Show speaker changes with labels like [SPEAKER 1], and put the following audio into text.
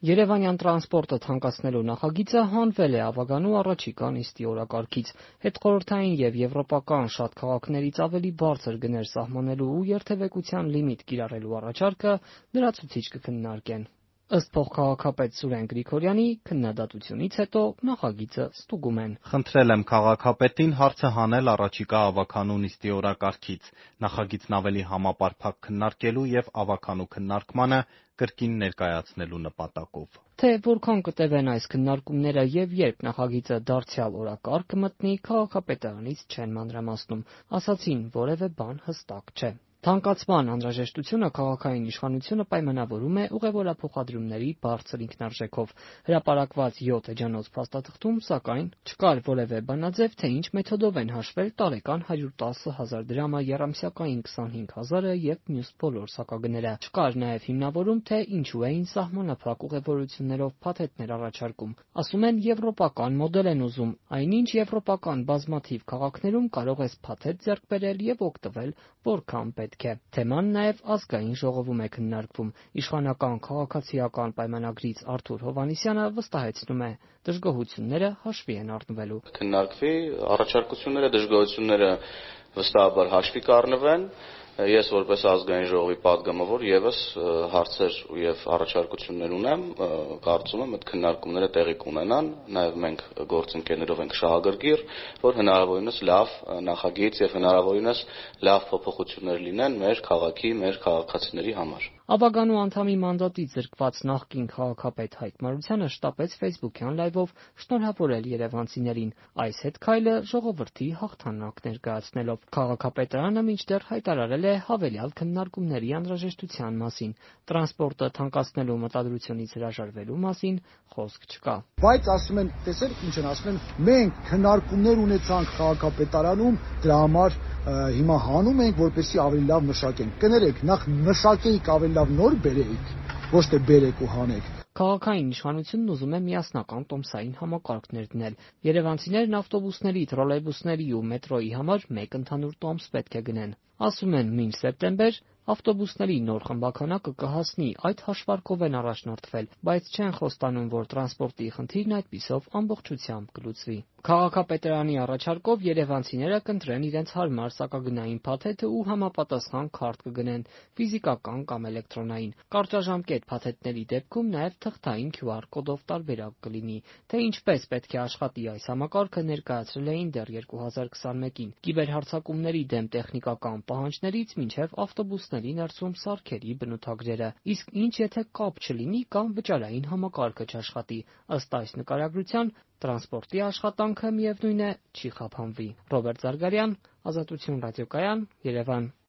[SPEAKER 1] Երևանյան տրանսպորտը թանկացնելու նախագիծը հանվել է Ավագանու առաջիկա նիստի օրակարգից։ Հետխորհրդային եւ եվրոպական շատ քաղաքներից ավելի բարձր գներ սահմանելու ու երթևեկության լիմիտ կիրառելու առաջարկը լրացուցիչ կքննարկեն։ Ըստ փոխքաղաքապետ Սուրեն Գրիգորյանի, քննադատությունից հետո նախագիծը ստուգում են։
[SPEAKER 2] Խնդրել եմ քաղաքապետին հարցը հանել առաջիկա ավագանու նիստի օրակարգից, նախագիծն ավելի համապարփակ քննարկելու եւ ավագանու քննարկմանը կրկին ներկայացնելու նպատակով։
[SPEAKER 1] Թե որքան կտևեն այս քննարկումները եւ երբ նախագիծը դարձյալ օրակարգ կմտնի, քաղաքապետարանից չեն մանրամասնում, ասացին որևէ բան հստակ չէ։ Թանկացման անհրաժեշտությունը քաղաքային իշխանությունը պայմանավորում է ուղևորափոխադրումների բարձր ինքնարժեքով։ Հրապարակված 7 էջանոց փաստաթղթում, սակայն, չկար որևէ բանաձև, թե ինչ մեթոդով են հաշվել տարեկան 110,000 դրամը, եռամսյակային 25,000-ը եւ մյուս բոլոր սակագները։ Չկար նաեւ հիմնավորում, թե ինչու էին սահմանափակ ուղևորություններով փաթեթներ առաջարկում։ Ասում են, եվրոպական մոդել են ուզում, այնինչ եվրոպական բազմաթիվ քաղաքներում կարող ես փաթեթ ձեռք բերել եւ օգտվել որքան պետք է։ Թեման նաեւ ազգային ժողովում է քննարկվում։ Իշխանական քաղաքացիական պայմանագրից Արթուր Հովհաննիսյանը վստահեցնում է, դժգոհությունները հաշվի են առնվելու։
[SPEAKER 3] Քննարկվի առաջարկությունները, դժգոհությունները վստահաբար հաշվի կառնվեն։ Ես որպես ազգային ժողովի падգամավոր եւս հարցեր եւ առաջարկություններ ունեմ, կարծում եմ այդ քննարկումները տեղի կունենան, նաեւ մենք գործընկերներով ենք շահագրգիռ, որ հնարավորինս լավ նախագիծ եւ հնարավորինս լավ փոփոխություններ լինեն մեր քաղաքի, մեր քաղաքացիների համար։
[SPEAKER 1] Ավագանու անդամի մանդատից զրկված նախկին քաղաքապետ Հայկ Մարությանը շտապեց Facebook-յան լայվով շնորհավորել երևանցիներին։ Այս հետքայլը ժողովրդի հաղթանակ ներկայացնելով։ Քաղաքապետարանը մինչդեռ հայտարարել է հավելյալ քննարկումների անհրաժեշտության մասին։ Տրանսպորտը թանկացնելու մտադրությունից հրաժարվելու մասին խոսք չկա։
[SPEAKER 4] Բայց ասում են, տեսեք ինչ են ասում են, մենք քննարկումներ ունեցանք քաղաքապետարանում, դրա համար հիմա հանում ենք, որպեսզի ավելի լավ մշակենք։ Կներեք, նախ մշակեիք ավելի լավ նոր բերեիք, ոչ թե բերեք ու հանեք։
[SPEAKER 1] Քաղաքային իշխանությունն ուզում է միասնական տոմսային համակարգներ դնել։ Երևանցիներն ավտոբուսների, տրոլեյբուսների ու մետրոյի համար մեկ ընդհանուր տոմս պետք է գնեն։ Ասում են, մինչ սեպտեմբեր ավտոբուսների նոր խմբաքանակը կհասնի, այդ հաշվարկով են առաջնորդվել, բայց չեն խոստանում, որ տրանսպորտի խնդիրն այդպիսով ամբողջությամբ կլուծվի։ Քաղաքապետարանի առաջարկով երևանցիները կընտրեն իրենց հարմար սակագնային փաթեթը ու համապատասխան քարտ կգնեն, ֆիզիկական կամ էլեկտրոնային։ Կարճաժամկետ փաթեթների դեպքում նաև թղթային QR կոդով տարբերակ կլինի։ Թե ինչպես պետք է աշխատի այս համակարգը ներկայացրել էին դեռ 2021-ին։ Կիբերհարձակումների դեմ տեխնիկական պահանջներից մինչև ավտոբուսների ներսում սարքերի բնութագրերը։ Իսկ ինչ եթե կապ չլինի կամ վճարային համակարգը չաշխատի։ Ըստ այս նկարագրության տրանսպորտի աշխատանքը միևնույն է չի խափանվի։ Ռոբերտ Զարգարյան, Ազատություն ռադիոկայան, Երևան։